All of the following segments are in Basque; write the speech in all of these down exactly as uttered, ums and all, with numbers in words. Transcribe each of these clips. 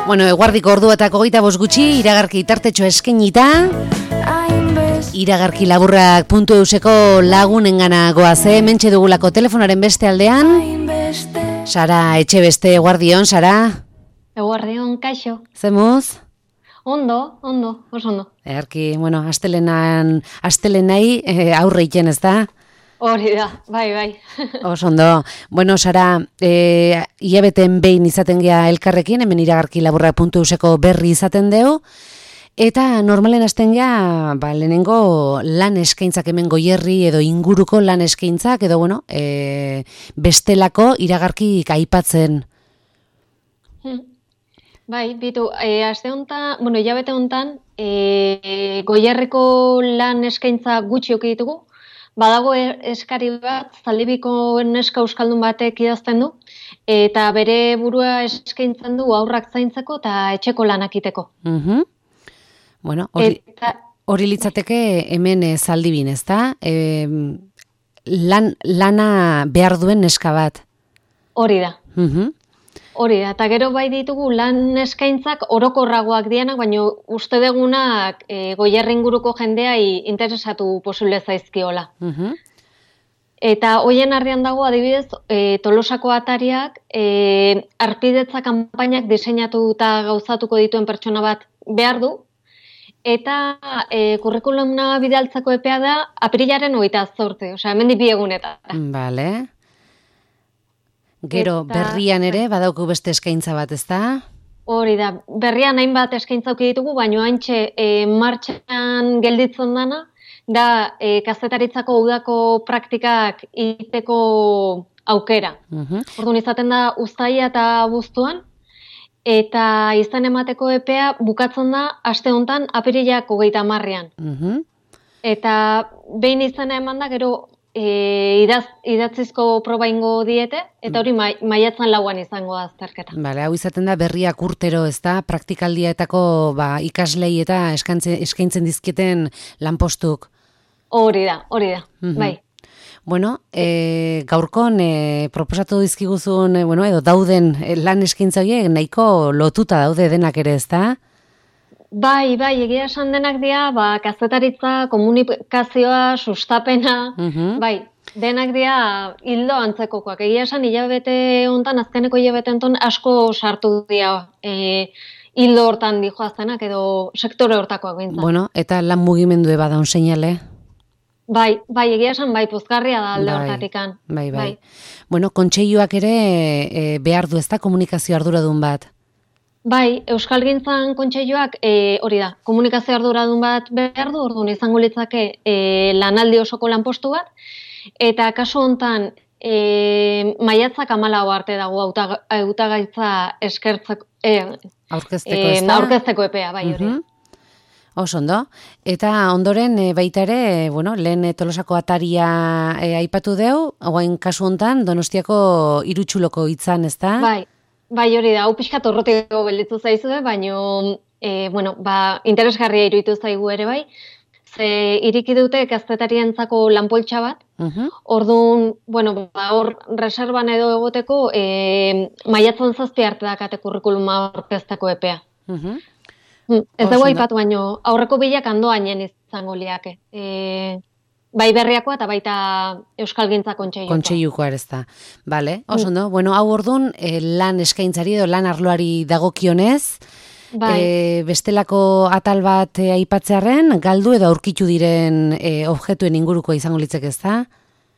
Bueno, eguardiko orduetako hogeita bost gutxi, iragarki tartetxo eskenita, iragarki laburrak puntu euseko lagunengana goaze, mentxe dugulako telefonaren beste aldean. Sara Etxebeste, eguardion, Sara? Eguardion, kaixo. Zemuz? Ondo, ondo, oso ondo. Egarki, bueno, astelenan, astelenai eh, aurre iten, ez da? Hori da, bai, bai. Oso ondo. Bueno, Sara, e, hilabeten behin izaten gea elkarrekin, hemen iragarki laburrak puntu euseko berri izaten deu, eta normalen hasten gea, ba, lehenengo lan eskaintzak hemen Goierri edo inguruko lan eskaintzak, edo, bueno, e, bestelako iragarki aipatzen. Hmm. Bai, bitu, e, aste hontan, bueno, hilabete hontan, e, Goierriko lan eskaintza gutxi oki ditugu. Badago eskari bat, Zaldibiko neska euskaldun batek idazten du, eta bere burua eskaintzen du aurrak zaintzeko eta etxeko lanak iteko. Uh-huh. Bueno, hori, eta, hori litzateke hemen e, Zaldibin, ez da? E, lan, lana behar duen neska bat. Hori da. Uh-huh. Hori da, eta gero bai ditugu lan eskaintzak orokorragoak dianak, baina uste degunak e, Goierri inguruko jendeai interesatu posible zaizkiola. Uh-huh. Eta hoien artean dago adibidez, e, Tolosako atariak e, arpidetza kanpainak diseinatu eta gauzatuko dituen pertsona bat behar du, eta e, kurrikulumna bidaltzako epea da apirilaren hogeita zortzi, osea, hemendik bi egunetan. Vale. Gero, eta, berrian ere, badauku beste eskaintza bat, ez da? Hori da, berrian hainbat eskaintza auki ditugu, baina haintxe e, martxan gelditzen dana, da e, kazetaritzako udako praktikak iteko aukera. Uh-huh. Orduan izaten da uztaia eta abuztuan, eta izan emateko epea bukatzen da aste hontan apirilak hogeita hamarrean. Uh-huh. Eta behin izena eman da, gero E, idaz, idatzizko proba ingo diete, eta hori mai, maiatzan lauan izango da azterketa. Bale, hau izaten da berriak urtero, ez da, praktikaldietako ba, ikaslei eta eskaintzen dizkieten lanpostuk. Hori da, hori da, uh-huh. Bai. Bueno, e, gaurkon e, proposatu dizkiguzun, e, bueno, edo dauden e, lan eskaintza horiek nahiko lotuta daude denak ere, ez da? Bai, bai, egia esan denak dira, ba, kazetaritza, komunikazioa, sustapena, uh-huh. Bai, denak dira hildo antzekokoak. Egia esan hilabete hontan, azkeneko hilabete hontan asko sartu dira e, hildo hortan dijoazenak edo sektore hortakoak bintzat. Bueno, eta lan mugimendu eba daun seinale? Bai, bai, egia esan bai, pozgarria da alde bai, hortatikan. Bai, bai, bai. Bueno, kontseiluak ere e, behar du ez da komunikazio arduradun bat? Bai, Euskalgintzan kontseiluak e, hori da, komunikazio arduradun bat behar du, orduan izango litzake e, lanaldi osoko lanpostu bat, eta kasu hontan e, maiatzak hamalau arte dago hautagaitza eskertzeko, e, aurkezteko, e, aurkezteko epea, bai hori. Uh-huh. Oso ondo. Eta ondoren e, baita ere, bueno, lehen Tolosako ataria e, aipatu deu, hauen kasu hontan Donostiako Irutxuloko hitzan, ez da? Bai. Bai, hori da, hau pixka torrotiko belditu zaizue, baina e, bueno, ba, interesgarria iruditu zaigu ere bai, ze iriki dute kazetarientzako lanpoltsa bat, uh-huh. Orduan, bueno, ba, hor reserban edo egoteko e, maiatzen zazpi arte dakate kurrikuluma aurkezteko epea. Uh-huh. Ez dago aipatu baino, aurreko bilak andoainen izango liake. E, Bai berriakoa eta baita Euskalgintza kontseilukoa. Kontseilukoa ez da. Bale, oso ondo. Bueno, hau orduan eh, lan eskaintzari edo lan arloari dagokionez, bai. eh, bestelako atal bat eh, aipatzearren, galdu edo aurkitu diren eh, objektuen inguruko izango litzeke, ez da?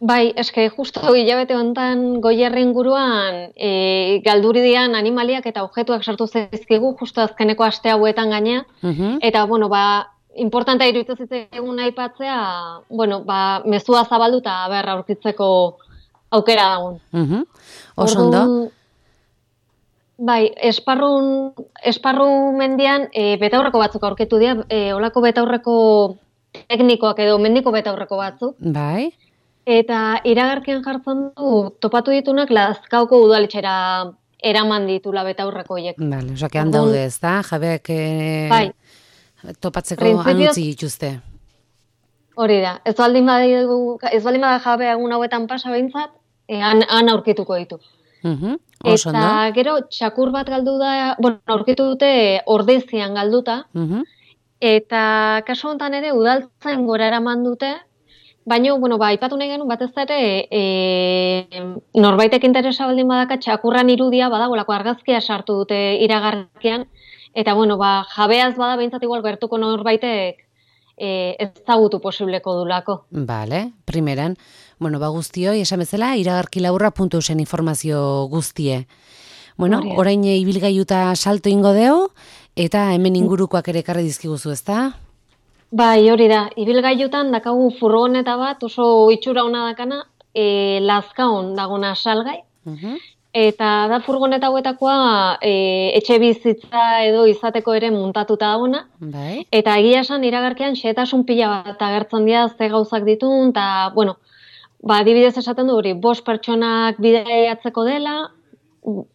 Bai, eske justo hilabete hontan Goierri inguruan e, galduri dian animaliak eta objektuak sartu zaizkigu justo azkeneko aste hauetan gainea. Uh-huh. Eta, bueno, ba, importantea iruditu zitzaigun aipatzea, bueno, ba, mezua zabaldu eta berra aurkitzeko aukera dagoen. Uh-huh. Oso ondo. Bai, esparrun, esparru mendian e, betaurreko batzuk aurkitu dira, e, olako betaurreko teknikoak edo mendiko betaurreko batzuk. Bai. Eta iragarkian jartzen du, topatu ditunak Lazkaoko udaletxera eraman ditula betaurreko horiek. Bale, osak ean daude ez da, jabeak e... bai. Topatzeko anutzi dituzte. Hori da, ez baldin bada jabe egun hauetan pasa behintzat, e, han, han aurkituko ditu. Mhm. Oso ondo. Eta gero txakur bat galdu da, bueno, aurkitu dute Ordezian galduta. Mhm. Eta kasu honetan ere udaltzain gora eraman dute, baina, bueno, ba, aipatu nahi genuen batez ere, e, norbaitek interesa baldin badaka txakurran irudia badagolako argazkia sartu dute iragarkian, eta, bueno, ba, jabeaz bada behintzat igual gertuko norbaitek e, ezagutu posibleko dulako. Vale, primeran. Bueno, ba guztioi, esan bezala, iragarkilaburra puntu eusen informazio guztie. Bueno, Horria. orain ibilgailuta salto ingo deu, eta hemen ingurukoak ere ekarri dizkiguzu, ezta? Bai, hori da, ibilgailutan dakagu furgoneta bat oso itxura ona dakana, e, Lazkaon dagona salgai, Mhm. eta da furgoneta hauetakoa e, etxe bizitza edo izateko ere muntatuta dagona, Bai. eta egia esan iragarkian xehetasun pila bat agertzen dira ze gauzak ditun, eta, bueno, ba, adibidez esaten du hori, bost pertsonak bidaiatzeko dela,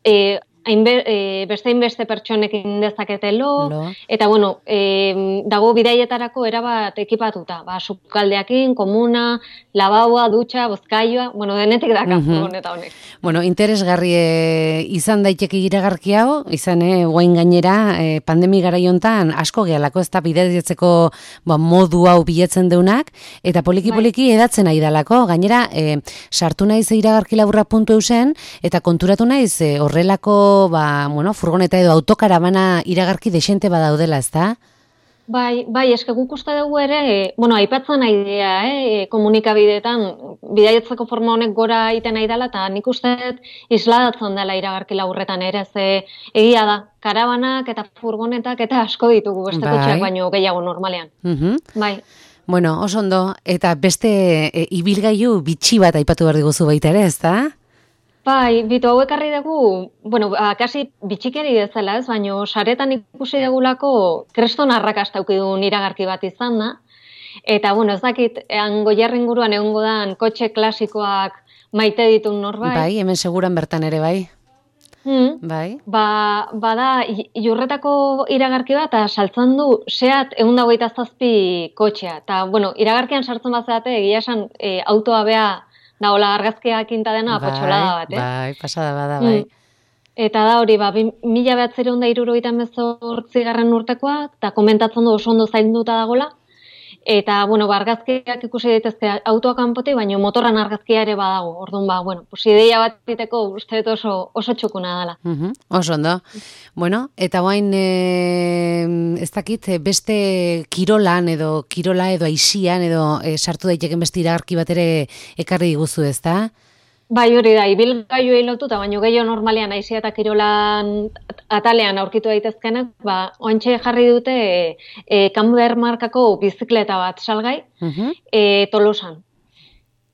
e, hainbe, e, beste hainbeste pertsonekin dezakete lo, Lo. eta, bueno, e, dago bidaietarako erabat ekipatuta, ba, sukaldeakin, komuna, labaua, dutxa, bozkailua, bueno, denetik daka Mhm. furgoneta honek. Bueno, interesgarri eh, izan daiteke iragarki hau, izan eh, guain gainera eh, pandemi garai hontan asko gehalako ez da bidaiatzeko ba, modu hau biletzen deunak, eta poliki-poliki edatzen nahi dalako, gainera eh, sartu naiz iragarkilaburra puntu eusen, eta konturatu naiz eh, horrelako ba, bueno, furgoneta edo autokarabana iragarki desente badaudela, ez da? Bai, bai, eske guk uste dugu ere, e, bueno, aipatzen nahi dira, eh, komunikabideetan, bidaiatzeko forma honek gora egiten nahi dela, eta nik uste dut isladatzen dela iragarki laburretan ere, ze egia da, karabanak eta furgonetak eta asko ditugu beste Bai. kotxeak baino gehiago normalean. Mhm. Bai, Bueno, oso ondo, eta beste e, ibilgailu bitxi bat aipatu behar diguzu baita ere, ez da? bai, bitu hauek harri dugu, bueno, ba, kasi bitxikeri bezala ez, baino saretan ikusi dugulako kreston arrakasta aukidun iragarki bat izan da, eta, bueno, ez dakit, hango jarri inguruan egongo dan kotxe klasikoak maite ditun norbait. Bai, hemen seguran bertan ere, bai. Hmm. Bai. Ba, bada, i- Iurretako iragarki bat, eta saltzen du Seat ehun eta hogeita zazpi kotxea. Eta, bueno, iragarkian sartzen bazeate, egia esan, e, autoa bea, daola argazkiak inta dena, potxolada bat, eh? Bai, pasada bada, bai. Mm. Eta da hori, ba, bi- mila behatzireun da hirurogeita hemezortzi garren urtekoa, eta komentatzen du oso ondo zainduta dagola. Eta, bueno, ba, argazkiak ikusi daitezke autoa kanpotik, baina motorran argazkia ere badago. Orduan, ba, bueno, pues ideia bat diteko uste dut oso, oso txukuna dela. Mhm, oso ondo. Bueno, eta guain e, ez dakit, eh, beste kirolan edo kirola edo aisian edo e, sartu daiteken beste iragarki bat ere ekarri diguzu, ez da? Bai, hori da, ibilgailuei lotuta, baino gehiago normalean aizia eta kirolan atalean aurkitu daitezkenak, ba, oantxe jarri dute e, e, Camber markako bizikleta bat salgai, Mhm. e, Tolosan.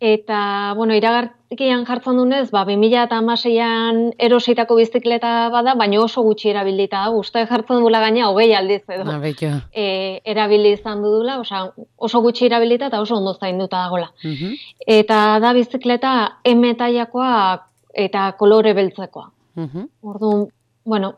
Eta, bueno, iragarkian jartzen dunez, ba, bi mila hamaseian erositako bizikleta bada, baina oso gutxi erabilita da, uste jartzen dula gaina hogei aldiz edo. Ah, betxo. E, erabili izan dudula, osea, oso gutxi erabilita eta oso ondo zainduta dagola. Mhm. Eta da bizikleta M tailakoa eta kolore beltzekoa. Mhm. Orduan, bueno,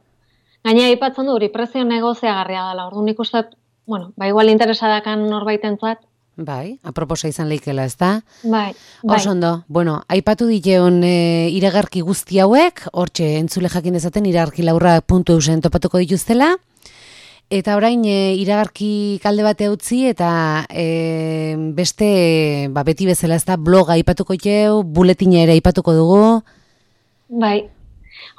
gaina aipatzen du hori prezio negoziagarria dela. Orduan nik uste, bueno, ba igual interesa dakan norbaitentzat. Bai, aproposa izan leikela, ez da? Bai, bai. Oso ondo, bueno, aipatu diteon e, iragarki guzti hauek, hortxe entzule jakin dezaten iragarkilaburra puntu eusen topatuko dituztela, eta orain e, iragarki kalde bate utzi eta e, beste, ba, beti bezala ez da, bloga aipatuko jau, buletina ere aipatuko dugu. Bai.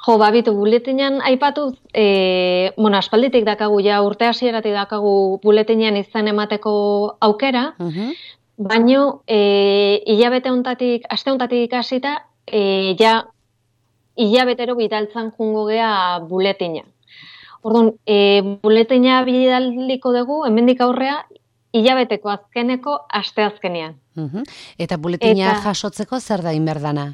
Jo, babitu, buletinean aipatu, e, bueno, aspalditik dakagu, ja urte hasieratik dakagu buletinean izan emateko aukera, Mhm. baino, e, hilabete hontatik, aste hontatik hasita, e, ja, hilabetero bidaltzan jungo gea buletina. Orduan, e, buletina bidaliko dugu, hemendik aurrea, hilabeteko azkeneko aste azkenean. Mhm. Eta buletina Eta- jasotzeko zer da inberdana?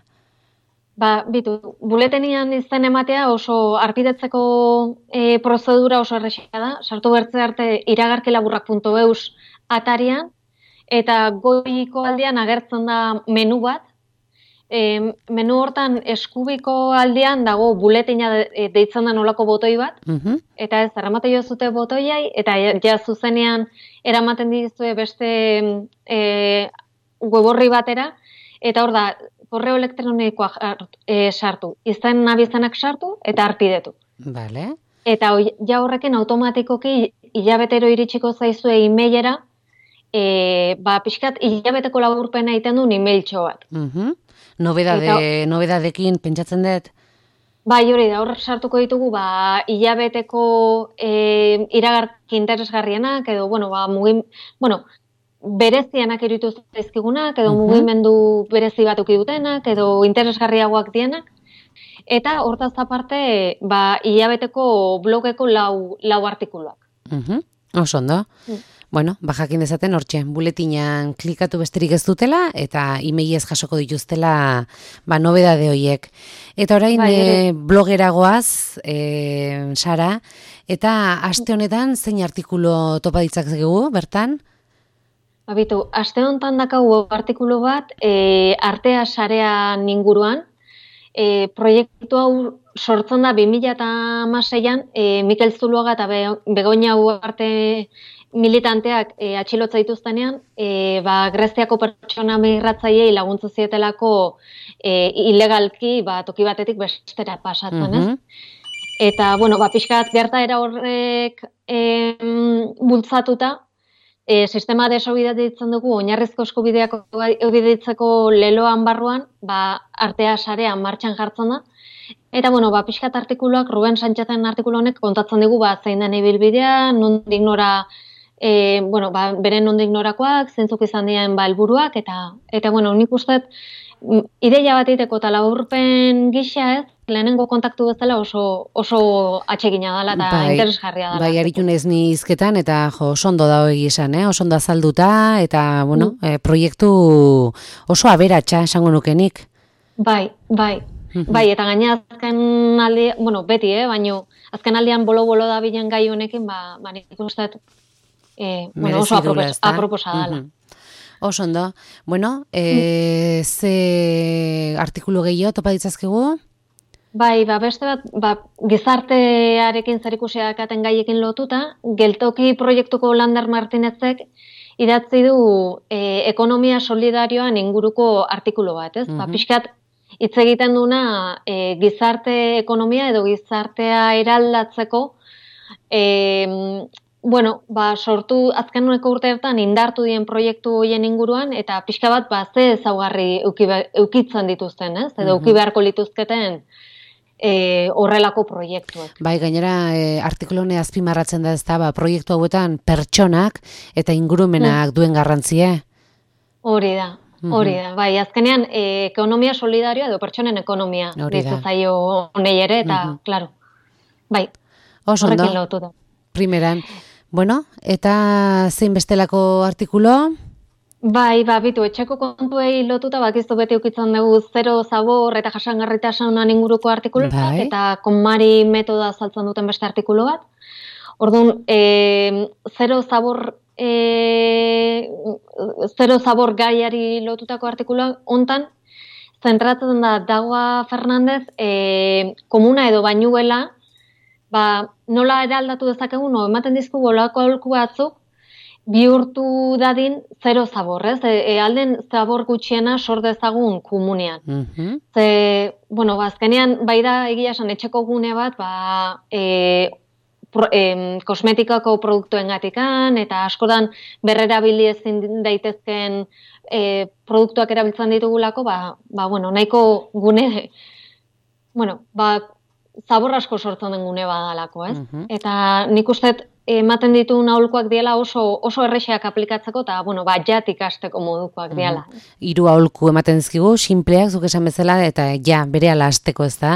Ba, bitu, buletenian izan ematea oso arpidetzeko e, prozedura oso errexea da. Sartu bertze arte iragarkilaburrak puntu eus atarian, eta goiko aldean agertzen da menu bat. E, menu hortan eskubiko aldean dago buletina de, e, deitzen da nolako botoi bat, Mhm. eta ez, erramate jo zute botoiai, eta ja, ja zuzenean eramaten dizue beste e, web orri batera, eta hor da, korreo elektronikoa e, sartu, izen abizenak sartu, eta arpidetu. Vale. Eta ja horrekin automatikoki hilabetero iritsiko zaizue e-mailera, e, ba, pixkat hilabeteko laburpena egiten duen e-mailtxo bat. Uh-huh. Nobedade, eta, nobedadekin pentsatzen dut? Bai, hori da, hor sartuko ditugu, ba, hilabeteko e, iragarki interesgarrienak, edo, bueno, ba, mugim, bueno, berezianak iruditu zaizkigunak, edo uh-huh. mugimendu berezi bat uki dutenak, edo interesgarriagoak dienak, eta hortaz aparte, ba, hilabeteko blogeko lau, lau artikuluak. Uh-huh. Oso ondo. Uh. Bueno, ba jakin dezaten hortxe, buletinan klikatu besterik ez dutela, eta e-mailez jasoko dituztela ba, nobedade horiek. Eta orain bai, e, blogeragoaz, e, Sara, eta aste honetan zein artikulu topa ditzakegu, bertan? Babitu, aste honetan dakagu artikulu bat, e, artea sarean inguruan, e, proiektu hau sortzen da bi mila hamaseian, e, Mikel Zuluaga eta Begoña Ugarte militanteak e, atxilotza dituztenean, e, ba, Greziako pertsona migratzaileei laguntza zietelako e, ilegalki ba, toki batetik bestera pasatzen, uh-huh. ez? Eta, bueno, ba, pixkat gertaera horrek e, bultzatuta, e, sistema desobeditzen dugu, oinarrizko eskubideak obeditzeko leloan barruan, ba, artea sarean martxan jartzen da. Eta, bueno, ba, pixkat artikuluak, Ruben Sánchezen artikulu honek kontatzen dugu, ba, zein den ibilbidea, nondik nora, e, bueno, ba, beren nondik norakoak, zentzuk izan diren ba, helburuak, eta, eta, bueno, nik uste, ideia bat egiteko eta laburpen gisa ez, lehenengo kontaktu bezala oso, oso atsegina dela eta bai, interesgarria dela. Bai, aritu naiz ni hizketan eta jo, oso ondo da hori esan, eh? Oso ondo azalduta eta, bueno, mm. eh, proiektu oso aberatsa esango nukenik. Bai, bai. Bai, eta gaina azken aldi, bueno, beti, eh, baino azken aldian bolo-bolo da bilen gai honekin, ba, ba nik uste eh, bueno, oso apropos, aproposa dela. Uh-huh. Oso ondo. Bueno, eh, mm. ze artikulu gehiago topa ditzazkegu? Bai, ba, beste bat, ba, gizartearekin zerikusia dakaten gaiekin lotuta, geltoki proiektuko Lander Martinezek idatzi du e, ekonomia solidarioan inguruko artikulu bat, ez? Uh-huh. Ba, pixkat hitz egiten duna e, gizarte ekonomia edo gizartea eraldatzeko, e, bueno, ba, sortu azkeneko urteetan indartu dien proiektu hoien inguruan, eta pixka bat, ba, ze ezaugarri eukitzen dituzten, ez? Edo uh-huh. euki beharko lituzketen E, horrelako proiektuak. Bai, gainera e, artikulu hone azpimarratzen da ez da, ba, proiektu hauetan pertsonak eta ingurumenak mm. duen garrantzia. Hori da, hori da. Bai, azkenean e, ekonomia solidarioa edo pertsonen ekonomia ditu zaio honei ere, eta, mm-hmm. klaro, bai, horrekin lotu da. Primeran. Bueno, eta zein bestelako artikulo? Bai, ba, bitu, etxeko kontuei lotuta, bakizu beti ukitzen dugu zero zabor eta jasangarritasunan inguruko artikulu bat, bai. Eta konmari metoda saltzen duten beste artikulu bat. Orduan, e, zero zabor, e, zero zabor gaiari lotutako artikulu hontan, zentratzen da Dagoa Fernandez, e, komuna edo bainuela, ba, nola eraldatu dezakegu, no, ematen dizku bolako aholku batzuk, bihurtu dadin zero zabor, ez? E, e, alden zabor gutxiena sor dezagun komunean. Uh-huh. Ze, bueno, bazkenean, bai da egia esan etxeko gune bat, ba, e, pro, e, kosmetikako produktuen gatikan, eta askotan berrerabili ezin daitezken e, produktuak erabiltzen ditugulako, ba, ba, bueno, nahiko gune, bueno, ba, zabor asko sortzen den gune badalako, ez? Uh-huh. Eta nik uste ematen dituen aholkuak diela oso oso errexeak aplikatzeko eta bueno, ba jat ikasteko modukoak diela. Mm. Hiru aholku ematen dizkigu, sinpleak zuk esan bezala eta ja berehala hasteko, ez da?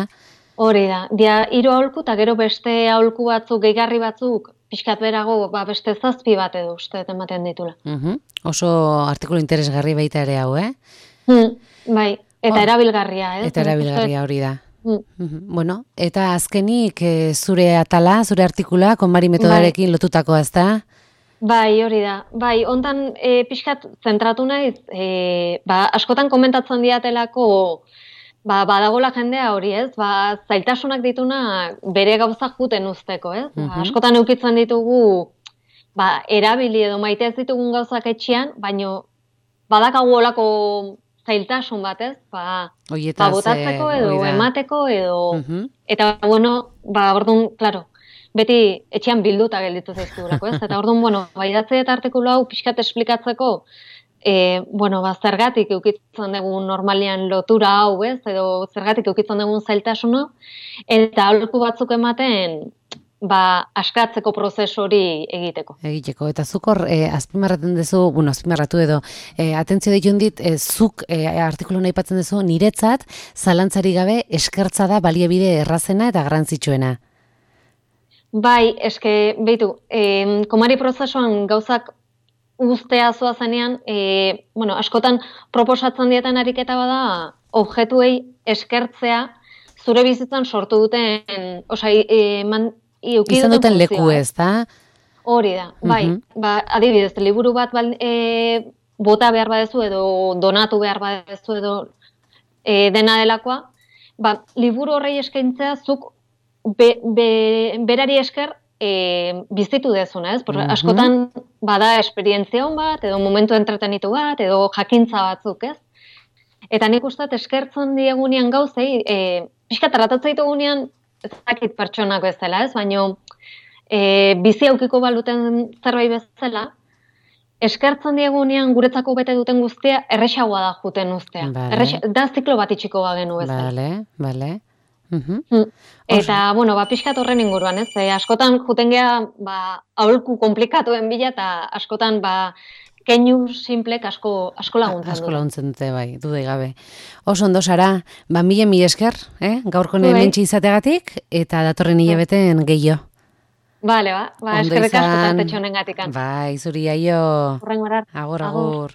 Hori da. Dia hiru aholku eta gero beste aholku batzuk, gehigarri batzuk pixkat berago, ba beste zazpi bat edo uste ematen ditula. Uh-huh. Oso artikulu interesgarri baita ere hau, eh? Hmm, bai, eta oh. erabilgarria, eh? Eta erabilgarria hori da. Mm. Bueno, eta azkenik e, zure atala, zure artikula, konmari metodarekin bai. Lotutakoa, ez da? Bai, hori da. Bai, ontan e, pixkat zentratu naiz, e, ba, askotan komentatzen diatelako, ba, badagola jendea hori, ez? Ba, zailtasunak dituna bere gauzak juten usteko, ez? Uh-huh. Ba, askotan eukitzen ditugu, ba, erabili edo maite ez ditugun gauzak etxean, baino badakagu olako zailtasun batez, ba, Oietaz, ba botatzeko edo oida. emateko edo, Uh-huh. eta, bueno, ba, orduan, klaro, beti etxean bilduta gelditu zaizkigulako, ez? Eta orduan, bueno, ba, idatzi eta artikulu hau pixkat esplikatzeko, e, bueno, ba, zergatik eukitzen dugun normalian lotura hau, ez? Edo zergatik eukitzen dugun zailtasun hau, eta aholku batzuk ematen, ba, askatzeko prozesu hori egiteko. Egiteko, eta zuk hor, eh, azpimarraten duzu, bueno, azpimarratu edo, eh, atentzio ditun dit, eh, zuk eh, artikulu nahi patzen duzu, niretzat, zalantzari gabe, eskertza da baliabide errazena eta garrantzitsuena. Bai, eske, behitu, eh, komari prozesuan gauzak uztea zoa zenean, eh, bueno, askotan proposatzen dietan ariketa bada, objektuei eskertzea, zure bizitzan sortu duten, osa, e, man, izan duten leku ez, da? Hori da, bai, uh-huh. ba, adibidez, liburu bat bal, e, bota behar badezu edo donatu behar badezu edo e, dena delakoa, ba, liburu horrei eskaintzea zuk be, be, berari esker e, bizitu dezuna, ez? Porque uh-huh. askotan bada esperientzia hon bat, edo momentu entretenitu bat, edo jakintza batzuk, ez? Eta nik usteat eskertzen diegunean gauzei, e, pixka tratatzen ditugunean, ez dakit pertsonak bezala, ez? Baina e, bizi aukiko baluten zerbait bezala, eskertzen diegunean guretzako bete duten guztia erresagoa da juten ustea. Vale. Errexa, da ziklo bat itxiko bagenu bezala. Bale, bale. Uh-huh. Mm. Eta, Oso. bueno, ba, pixkat horren inguruan, ez? E, askotan juten geha, ba, aholku komplikatuen bila, eta askotan, ba, keinu simplek asko, asko laguntzen dute. Asko laguntzen dute, bai, dudai gabe. Oso ondo, Sara, ba, mila mi esker, eh? Gaurko hementxe izateagatik, eta datorren hilabeten gehiago. Bale, ba, ba eskerrik asko tantetxo honen gatikan. Bai, zuri aio. Horren gorar. Agur, agur.